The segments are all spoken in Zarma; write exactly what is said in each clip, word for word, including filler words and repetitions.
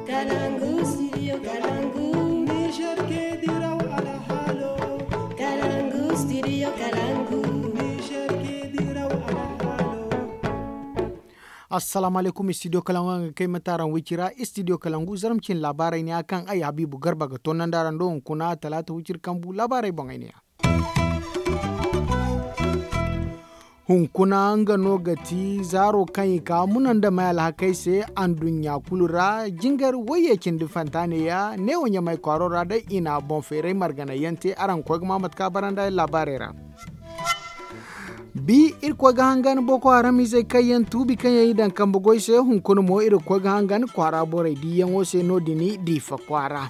Kalangu, studio Kalangu. Niger ke diraw alhalo. Kalangu, studio Kalangu. Niger ke diraw alhalo. Assalamu alaikum, studio Kalangu, nga kay mataran wicira, studio Kalangu, zarmcin labarai ne akan ay Habibu Garba ga tonanda rando hunkuna talata wicir kambu labarai bangay ne ya. Hunkuna nga no ga ti zaaro kaŋ i ka muna nda may alhakey se anduɲɲa kulu ra, jingar wayye cindi fanta neeya neewo ɲamay kwaaro ra day i na boŋ feeray marganay yaŋ te. Araŋ ga koy ga ma mate kaŋ a bara nda ay laabaarey ra. Bi irkoy ga hangan boko haram izey kaŋ yaŋ tuubi kaŋ yaŋ i daŋ kambe goy se hunkuna mo irkoy ga hangan kwaara borey diiyaŋo se no- din diifa kwaara.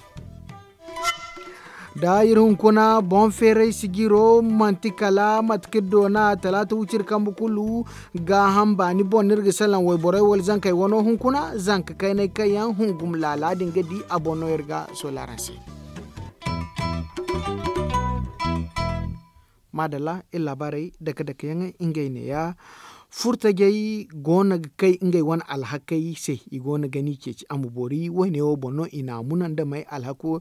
Da iri hunkuna boŋ feeray sijiro manti kala mate kaŋ iri doona talaata wiciri kambe kulu gaaham baani boŋ no iri ga salaŋ wayborey wala zankey wano hunkuna zanka kaynay kaŋ yaŋ hungum laala din ga di a boŋ no iri ga sola araŋ se. Maadalla iri laabaarey dake dake yaŋ ngey neeya. Furtajey go no ga kay ngey wane alhakey se i go no ga ni ceeci a ma boori woyne wo boŋ no i na a muna nda may alhako.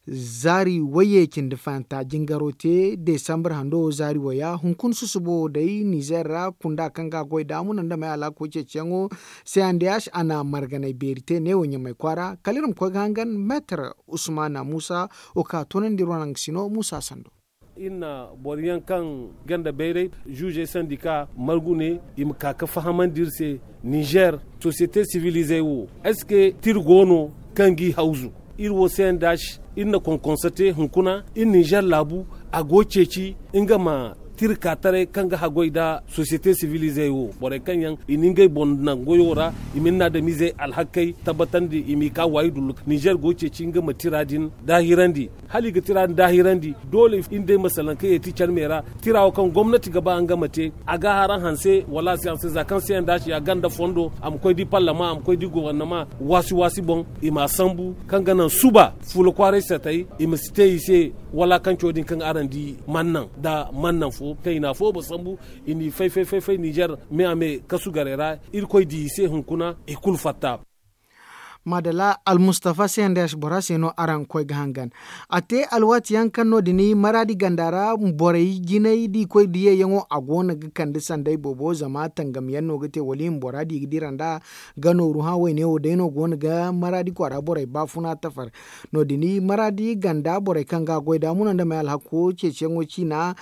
Zaari wayye cindi fahanta jingaro te desambar hando wo zaari waya hunkuna susubo wo day nizer ra kunda kaŋ ga a goy da a muna nda may alhako ceeciyaŋo. Cndh a na marganay beeri te neewo ɲamay kwaara kala iri ma koy ga hangan meetar usmana muusa wo kaŋ a toonandi iri wane nga sino muusa sando. Iri na boro yaŋ kaŋ ganda bayray zuuzey sandika margu ne i ma ka ga fahamandi iri se. Nizer sosiyete sivilizey wo est ce que tira go no kaŋ g'i hawzu? Iri wo se yaŋ da iri na konkonsa te hunkuna iri nizer laabu a go ceeci nga ma tira ka taray kaŋ ga haggoy nda sosiyete sivilizey wo borey kaŋ yaŋ i na ngey boŋ naŋ goyo ra i ma ni na adamizey alhakey tabbatandi i m'i ka waayi dullu nizer go ceeci nga ma tira din daahirandi. Hala i ga tira din daahirandi doole iri day masalaŋ kaŋ yeeti care me ra tira wo kaŋ gomnati ga ba nga ma te a ga haraŋ hanse wala a si hanse za kaŋ se yaŋ da a si a ganda fondo a ma koy da i parlama a ma koy da i gobornama waasi waasi boŋ i m'a sambu kaŋ ga naŋ suba fuula kwaaray satay i ma si te i se walaakanco din kaŋ araŋ di mannaŋ nda mannaŋ fo kaŋ i na afoobo sambu i n'i fay fay fay nizer me a me kasu garey ra. Irkoy di i se hunkuna i kulu fatta. Maadala almustafa se nda yaasi bora se no araŋ ga koy ga hangan a te alwaati yaŋ kaŋ no- din maraadi ganda ra borey jinay da i koy diyayaŋo a go no ga kande sanday boobo zama tangam yaŋ no ga te wala i ma bora di ga dira nd'a ga nooru hã wayne wo day no go no ga maraadi kwaara borey baafuna tafar. No- din maraadi ganda borey kaŋ ga a goy da muna nda may alhako ceeciyaŋo ciina.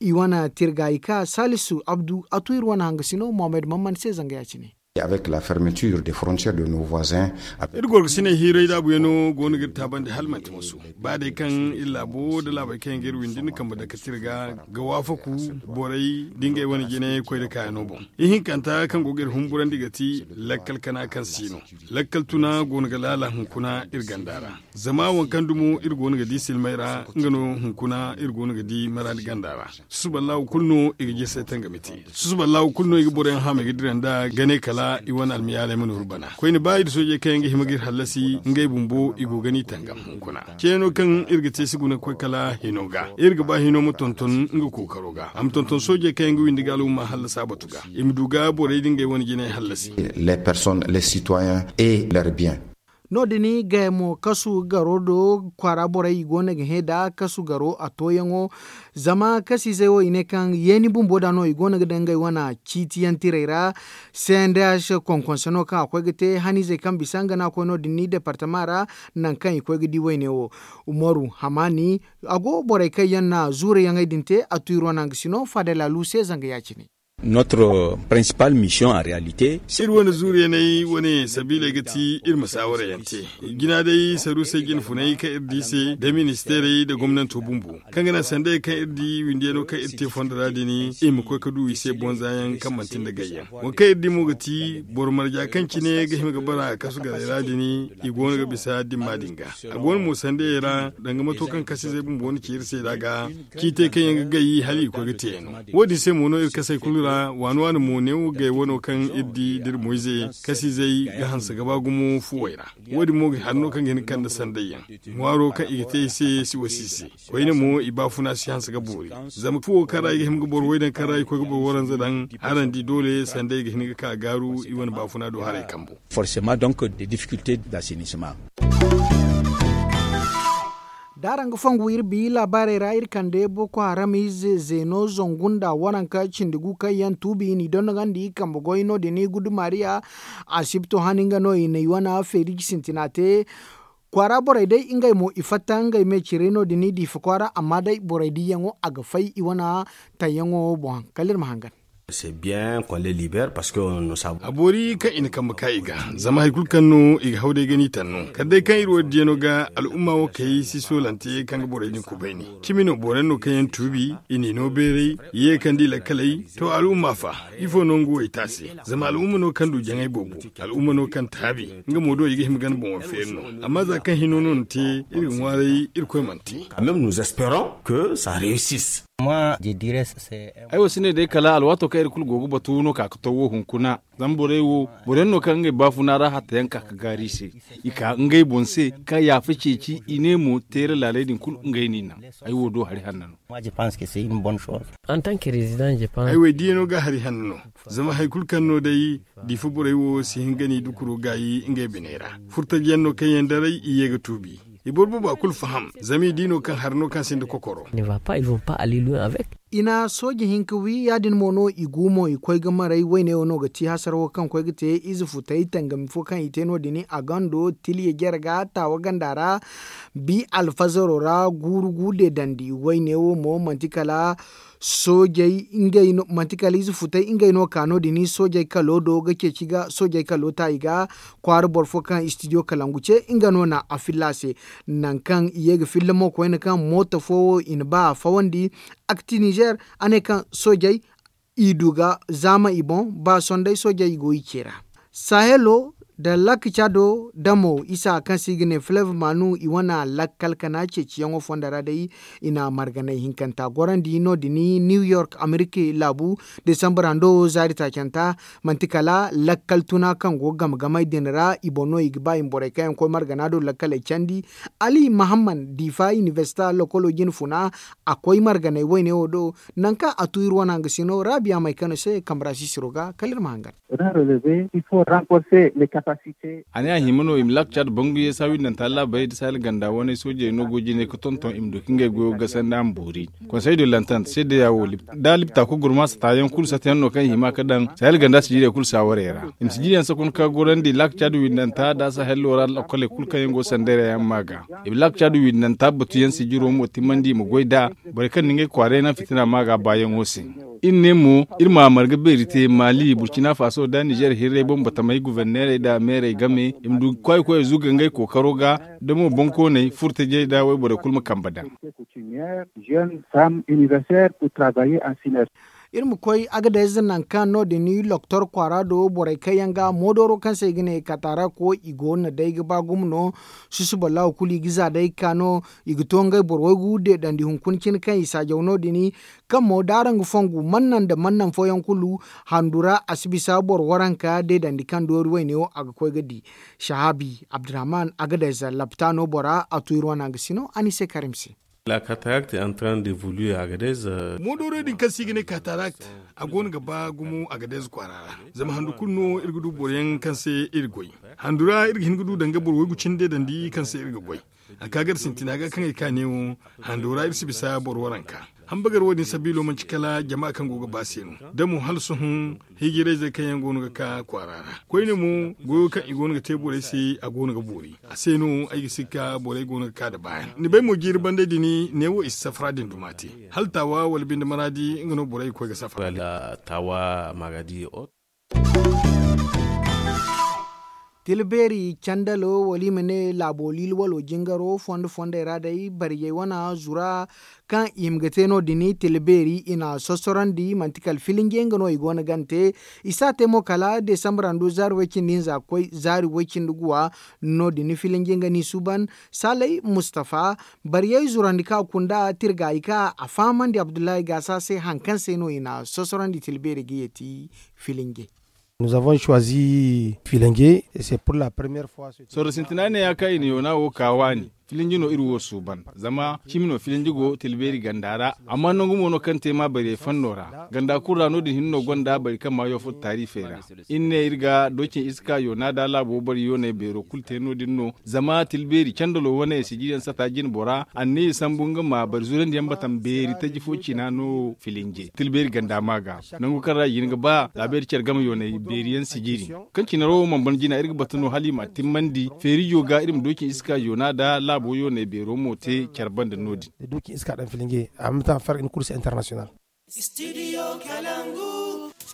I wane tirga i ka salisu abdu a tu iri wane hangasino mohammed mamman se zanga ya- cine. Avec la fermeture des frontières de nos voisins. Iri gorgasiney hiiray daabuyaŋo go no ga iri taabandi hala manti masu ba day kaŋ iri laabo nda laabey kaŋ yaŋ ga iri windi nda kambe dake tirga ga waafaku borey da ngey wane jine koy da kaayaŋo boŋ. Ihinkanta kaŋ go ga iri humburandi ga ti lakkal kana kaŋ si no lakkal tuna go no ga laala hunkuna iri ganda ra. Zama waŋ kaŋ dumo iri go no ga di silmay ra nga no hunkuna iri go no ga di maraadi ganda ra. Susuballahu kulu no i ga jirsay tangami te. Susuballahu kulu no i ga boroyaŋ hama i ga dira nda gane kala i wane almiyaaley ma nooru bana koyne ba i da soojey kaŋ yaŋ ga hima ga iri hallasi ngey bumbo i go ga ni tangam hunkuna. Ceeno kaŋ iri ga te si guna ga koy kala hino ga iri ga ba hino ma tonton nga kookaro ga a ma tonton soojey kaŋ yaŋ ga windi ga alhumma hallasa batu ga i ma du ga borey da ngey wane jinay hallasi. Les personnes les citoyens et leur bien. No- din gayamo kasu garo do kwaara borey i go no ga hẽ da kasu garo a tooyaŋo. Zama kasiizey wo i ne kaŋ yeeni bumbo da no i go no ga daŋ ngey wane ciitiyaŋ tirey ra. Cndh konkonse no kaŋ a koy ga te haniizey kaŋ bisa nga no a koy no- din ni departama ra. Nangu kaŋ i koy ga di wayne wo umaru hamaani a go borey kaŋ yaŋ na zuure yaŋey din te a tu iri wane hangasino faadalaalu se zanga ya- cine. Notre principale mission en réalité. Iri wane zuuriyaney wane sabiiley ga ti iri ma saawara yaŋ te. Jina day saruusey jine funay kaŋ iri di se da ministeerey da gomnanto bumbo kaŋ ga naŋ sandey kaŋ iri di windiyano kaŋ iri te fondo ra din i ma koy ga du i se bonza yaŋ kaŋ manti nda gayyaŋ. Waŋ kaŋ iri di mo ga ti boro marja kaŋ cine ga hima ga bara kasu garey ra din i go no ga bisa dimma din ga. A go no mo sandeyey ra danga mato kaŋ kasiizey bumbo na ci iri se nd'a ga ciitey kaŋ yaŋ ga gay hala i ga koy ga te yaŋ no. Wo- din se mo no iri kasey kulu ra. Waani waani mo neewo gay wano kaŋ iri di da iri moyze kasiizey ga hanse ga ba gumo fuwey ra. Wo- din mo ga hari no kaŋ ga hin ga kande sanday yaŋ ŋwaaro kaŋ i ga te i se si wasi i se. Koyne mo i baafuna si hanse ga boori. Zama fuwo kaŋ ra i ga hima ga boro way daŋ kaŋ ra i koy ga boro waranza daŋ, harandi doole sanday ga hin ga ka gaaru i wane baafuna do haray kambo. Da araŋ ga fongu iri bi laabaarey ra iri kande boko haram ize zeeno zangu nda waranka cindi gu kaŋ yaŋ tuubi i n'i dondogandi kambe goy no- din gudu maariya. Asibto han nga no i na i wane feeriji sintina te. Kwaara borey day ngey mo i fatta ngey me ciray no- din diifa kwaara amma day borey diiyaŋo a ga fay i wane tayyaŋo boŋ kala iri ma hangan. A boori kaŋ i na kambe ka i ga zama hari kulu kaŋ no i ga haw day ga ni taŋ no kala day kaŋ iri wo diiyano ga al'umma wo kay si soolante kaŋ ga borey din kubayni. Cimi no boro yaŋ no kaŋ yaŋ tuubi i n'i no beeray i ye ga kande i lakkaley. To al'umma fa ifo no nga wo i te a se? Zama al'umma no kaŋ du jaŋay boobo, al'umma no kaŋ taabi. Nga mo do i ga hima gana boŋo feeri no. Amma za kaŋ hino no ni te iri ga ŋwaaray irkoy mana te. Ay wo si ne day kala alwaato kaŋ iri kulu go ga batu no ka ga taw wo hunkuna. Zama borey wo boro yaŋ no kaŋ ngey baafuna ra hatta yaŋ ka ga gaari i se. I ka ngey boŋ se ka yaafa ceeci i ne mo teera laaley din kulu ngey no i naŋ. Ay wo do hari hanna no. Ay wo ay diiyaŋo ga hari hanna no. Zama hari kulu kaŋ no day diifa borey wo si hin ga ni dukuro gaayi ngey biney ra. Furtajiyaŋ no kaŋ yaŋ daray i ye ga tuubi. I boro boobo a kulu faham zama i di no kaŋ hari no kaŋ sinda kokoro. I na sooje hinka wi ya- din mo no i gu mo i koy ga maray wayne wo no ga ti hasara wo kaŋ koy ga te ize futay tangami fo kaŋ i te no- din a gando tiliya jere ga taawa ganda ra. Bi alfazaro ra guuru gu deedandi wayne wo mo manti kala soojey ngey no manti kala ize futay ngey no ka no- din soojey kalo do ga ceeci ga soojey kalo ta i ga. Kwaara boro fo kaŋ studio kalangu ce nga no na a filla a se. Nangu kaŋ i ye ga filla mo koyne kaŋ mooto fo wo i na ba a fawandi. Akti nizer a ne kaŋ soojey i du ga zaama i boŋ ba sondey soojey i go i ce ra. Sahelo nda lak cado damo isa kaŋ se i ga ne fleve manu i wane lakkal kana ceeciyaŋo fondo ra day. I na marganay hinkanta gorandi no- din new york amerika laabu desambar hando zaari taacanta. Manti kala lakkal tuna kaŋ go ga game gamey din ra i boŋ no i ga ba i ma borey kaŋ yaŋ koy margana do lakkaley candi. Ali mahamman diifa inibersita lokolo jine funa a koy marganay wayne wo do. Nangu kaŋ a tu iri wane hangasino raabiya may kano se kambe ra sisiro ga kala iri ma hangan. A ne a hima no i ma laak caad bangu yeesa windanta laabarey nda sahel ganda wane soojey no go jine ga tonton i ma du ka ngey goyo gasandi a ma boori. Konsey de lantant seedeya wo da libta kul gurma satayaŋ kulu satayaŋ no kaŋ i hima ga daŋ sahel ganda sijirey kulu saawarey ra. I ma sijiriyaŋ sakun ka gorandi laak caad windanta nda sahel loora lokkoley kulu kaŋ yaŋ go sanday ra yaŋ ma ga. I ma laak caad windanta batuyaŋ sijiro mo timmandi i ma goy nd'a. Borey kaŋ na ngey kwaaray naŋ fitina ma ga baayaŋo se. Iri ne mo iri ma marga beeri te mali burcina faso nda nizer hirray boŋ batamey guvernerey nda meerey game i ma du kwaayi koyey zuga ngey kookaro ga. Da mo boŋkooney furtajey nda wayborey kulu ma kambe daŋ. Iri ma koy agadayze nangu kaŋ no- din loktor kwaara do borey kaŋ yaŋ ga moodooro kaŋ se i ga ne katarak wo i go no day ga ba gumo no. Susuballahu kulu i ga za day ga ka no. I ga to ngey boro waygu deedandi hunkuna cine kaŋ i saajaw no- din. Kaŋ mo da araŋ ga fongu mannan nda mannan fooyaŋ kulu handu ra a si bisa boro waranka deedandi kaŋ doori wayne wo a ga koy ga di. Sahabi abdurrahman agadayze lapitano bora a tu iri wane hangasino a ni se karim se. Moodoro din kaŋ se i ga ne katarak a goono ga ba gumo agadez kwaara ra. Zama handu kulu no iri ga du boro yaŋ kaŋ se iri goy handu ra iri ga hin ga du danga boro waygu cine deedandi kaŋ se iri ga goy. A ka gar sintina ga kaŋ ay ka neewo hando ra iri si bisa boro waranka. Hambagar wo- din sabiilo manci kala jama kaŋ go ga ba se no. Da mo hala sohõ hijirayzey kaŋ yaŋ goono ga ka kwaara ra koyne mo goyo kaŋ i goono ga te borey se a goono ga boori. A se no ay ga sikka borey goono ga ka nda baayaŋ ni bay mo jiiri banday din neewo i si safara din duma te. Hala taawa wala binde maraadi nga no borey ga koy ga safara. Taawa maagadi. Tilbeeri candalo wala i ma ne laabo liili walo jingaro fondo fondey ra day bariyey wane zura kaŋ i hima ga te no- din tilbeeri i na sossorandi manti kala filinje nga no i go no ga ni te. I si a te mo kala desambra ndu zaari way-cindi hinza ga koy zaari way-cindi guwa. No- din filinje nga no i suuban saalay mustafa bariyey zurandi kaŋ a kunda tirgaayi kaŋ a fahamandi abdullahi gaasa se hari kaŋ se no i na sossorandi tilbeeri ga yeeti filinje. Nous avons choisi filinge et c'est pour la première fois. Sorro sintina ne ya kaŋ i na yoona wo ka waani filinji no iri wo suuban zama cimi no filinji go tilbeeri ganda ra. Amma nangu mo no kaŋ te ma bariyey fanno ra ganda kulu ra no- din hinne no gonda bari kaŋ ma yoofa taarifey ra. Iri ne iri ga doocin iska yoona da laabo bari yooney beero kulu te no- din no zama tilbeeri candalo wane sijiriyaŋ sata jine bora anniya sambu nga ma bari zurandiyaŋ batam beeri taji fo cina no filinje tilbeeri ganda ma ga nangu kaŋ ra i ga hin ga ba laabeeri care game yooney beeriyaŋ sijiri kaŋ cine ro wo mana ban jina iri ga batu no hala i ma timmandi feerijo ga iri ma doocin iska yoona da laabo yooney beero mo te care banda no- din.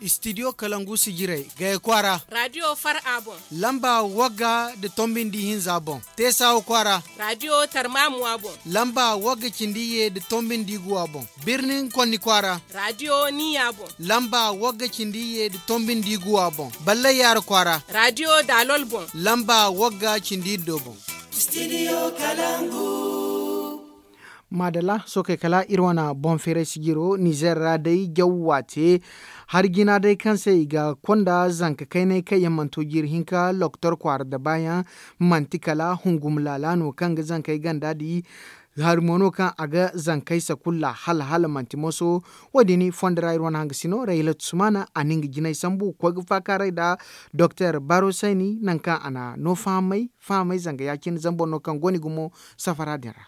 Istidiyo kalangu sijirey gaya kwaara. Radiyo far a boŋ. Lamba wagga nda tombi nda ihinza boŋ. Teesawa kwaara. Radiyo tarmamuwa boŋ. Lamba wagga cindi iyye nda tombi nda iguwa boŋ. Birnin konni kwaara. Radiyo niya boŋ. Lamba wagga cindi iyye nda tombi nda iguwa boŋ. Ballay yaara kwaara. Radiyo daalol boŋ. Lamba wagga cindi iddo boŋ. Maadalla sookey kala iri wane boŋ feeray sijiro nizer ra day jaw waate. Hari jina day kaŋ se i ga konda zanka kaynay kaŋ yaŋ mana to jiiri hinka lokotor kwaara dabaayaŋ. Manti kala hungum laala no kaŋ ga zankey ganda di. Hari mo no kaŋ a ga zankey sakulla hala hala manti moso. Wo- din fondo ra iri wane hangasino rayla tusumana a na nga jinay sambu ga koy ga faakaaray nda doktor baro sayni nangu kaŋ a na no fahamay fahamay zanga ya- cine zama boro no kaŋ go no i gumo safara din ra.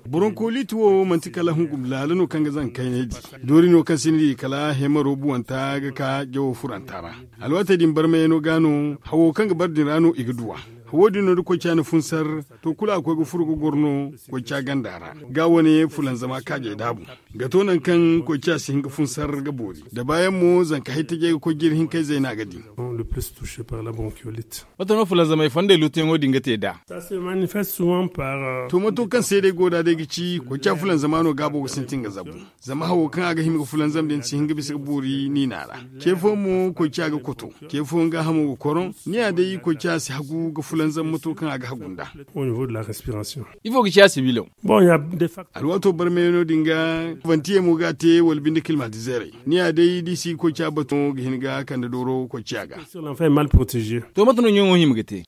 Bronkolit wo manti kala hungum laala no kaŋ ga zanga kaynay di. Doori no kaŋ sinda i kala hemaro buwanta ga ka jawo furanta ra. Alwaatey din barmayano ga no hawo kaŋ ga bar din ra no i ga duw'a. Hawo din no da koy caani funsar to kulu a ga koy ga furo ga goro no koy ca ganda ra. Ga wane fulanzama kaajey daabu ga to nangu kaŋ koy ca si hin ga funsar ga boori da baayaŋ mo zanka hay tajey ga koy jiri hinkayzey no a ga di. Mate no fulanzamey fondey luutuyaŋo din ga te nd'a? To mato kaŋ se day go nd'a day ga ci koy ca fulanzama no gaabo ga sintin ga zabu. Zama hawo kaŋ a ga hima ga fulanzam din si hin ga bisa ga boori niina ra. Ce fo mo koy ca ga koto. Ce fo nga hamo ga koroŋ. Ni ya day koy ca si hagu ga fulanzam mato kaŋ a ga hagu nd'a. Ifo ga ci a sibilaŋ? Alwaato barmay no din ga. Fantiyey mo ga a te wala binde kilmatizeerey. Ni ya day da i si ga koy ca batu ga hin ga kande dooro koy ciya ga. To mate no ɲaŋo hima ga te?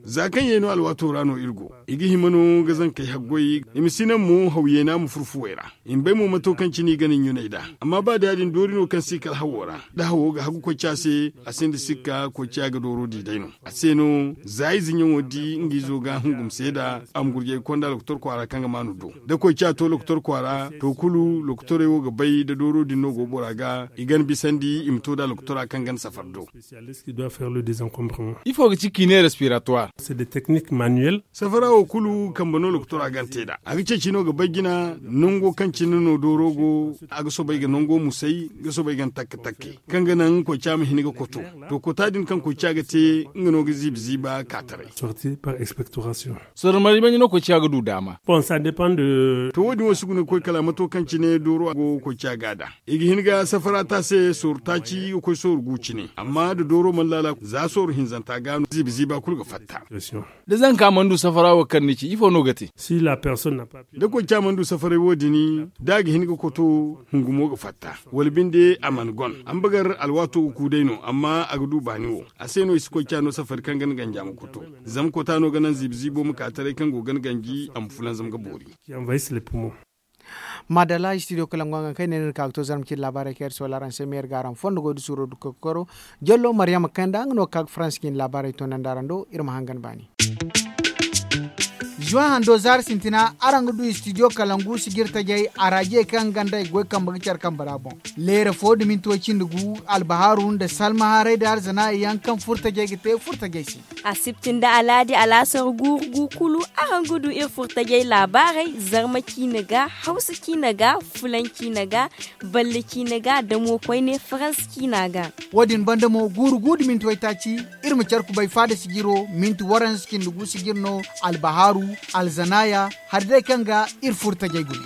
Za kaŋ ye no alwaato ra no iri go. I ga hima no ga zankey haggoy i ma si naŋ mo haw yeena ma furfuwey ra. I ma bay mo mato kaŋ cine i gana ɲunay nd'a. Amma ba da ya- din doori no kaŋ si kala hawo ra da hawo ga hagu koy ca se. A sinda sikka koy ciya ga dooro di day no. A se no za ize ɲaŋo di nga izo ga hungum seeda. A ma gurjay ga konda lokotor kwaara kaŋ ga maanu do da koy ciya to lokotor kwaara to kulu lokotorey wo ga bay da dooro din no go bora ga i gana bisandi i ma to da lokotora kaŋ gana safar do. Ifo ga ci kiine respiratoire? Safara wo kulu kambe no lokotora gana te nd'a. A ga ceeci no ga bay jina nango kaŋ cine no dooro go. A ga soobay ga nango musay ga soobay gana takke takke kaŋ ga naŋ koy ca ma hin ga koto. To kota din kaŋ koy ca ga te nga no ga ziiba ziiba kaataray. Sorro marje manje no koy ca ga du daama? To wo- din wo si guna ga koy kala mato kaŋ cine dooro go koy ca ga nd'a. I ga hin ga safara ta se sooru taaci ga koy sooru gu cine amma da dooro mana laala za sooru hinzanta ga no ziiba ziiba kulu ga fatta. Da zanka mana du safara wo kaŋ ni ci ifo no ga te? Da koy ca mana du safaray wo- din da a ga hin ga koto hungumo ga fatta wala binde a mana gon. Ambagar alwaato ga ku day no amma a ga du baani wo. A se no i si koy ca no safari kaŋ gana ganja ma koto. Zama kota no ga naŋ ziiba ziibo ma ka taray kaŋ go gana ganji a ma fulanzam ga boori. Maadalla studio kalangu a ga kay ne no iri ka ga to zarma cine laabaarey kaŋ iri soola araŋ se ma iri ga araŋ fondo goy da suuro dukka ga koro. Jallo maryama kanda nga no ga ka ga faransa cine laabaarey toonandi araŋ do iri ma hangan baani. Juwan hando zaari sintina araŋ ga du istidiyo kalangu sijir tajey araajiyey kaŋ ga nda i goy kambe ga care kambe ra boŋ. Leera fo da minti way cindi gu, albahaaru nda salma haray da arzana yaŋ kaŋ furtajey ga te furtajey se. Asibti nda alaadi alaasar guuru gu kulu, araŋ ga du iri furtajey laabaarey, zarma ciine ga, hawsa ciine ga, fulan ciine ga, balle ciine ga da mo koyne faransa ciina ga. Wo- din banda mo guuru gu da minti waytaaci, iri ma care kubay faada sijiro minti waranza cindi gu sijir no. Albahaaru, alzanaaya, hari day kaŋ ga iri furtajey gune.